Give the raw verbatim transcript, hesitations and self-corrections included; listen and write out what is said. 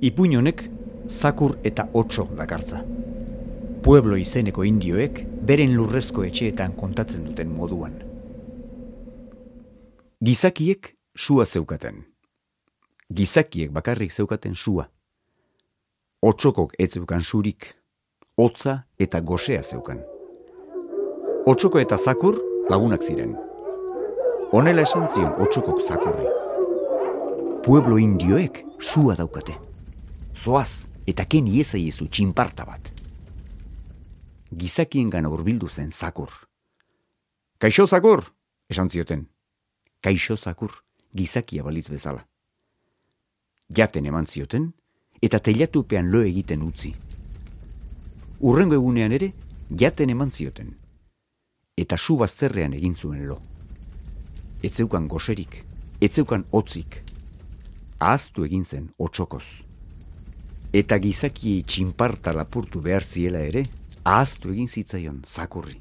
Ipuin honek zakur eta otso dakartza. Pueblo izeneko indioek beren lurrezko etxeetan kontatzen duten moduan. Gizakiek sua zeukaten. Gizakiek bakarrik zeukaten sua. Otsokok ez zeukan surik, hotza eta gosea zeukan. Otsoko eta zakur lagunak ziren. Honela esan zion otsokok zakurri. Pueblo indioek sua daukate. Zoaz eta ken iezaiezu txinparta bat. Gizakiengan hurbildu zen zakur. Kaixo zakur, esan zioten. Kaixo zakur, gizakia balitz bezala. Jaten eman zioten, eta teilatupean lo egiten utzi. Urrengo egunean ere, jaten eman zioten. Eta su bazterrean egin zuen lo. Etzeukan goserik, etzeukan hotzik. Ahaztu egin zen otsokoz. Eta gizakiei txinparta lapurtu behar ziela ere, ahaztu egin zitzaion zakurri.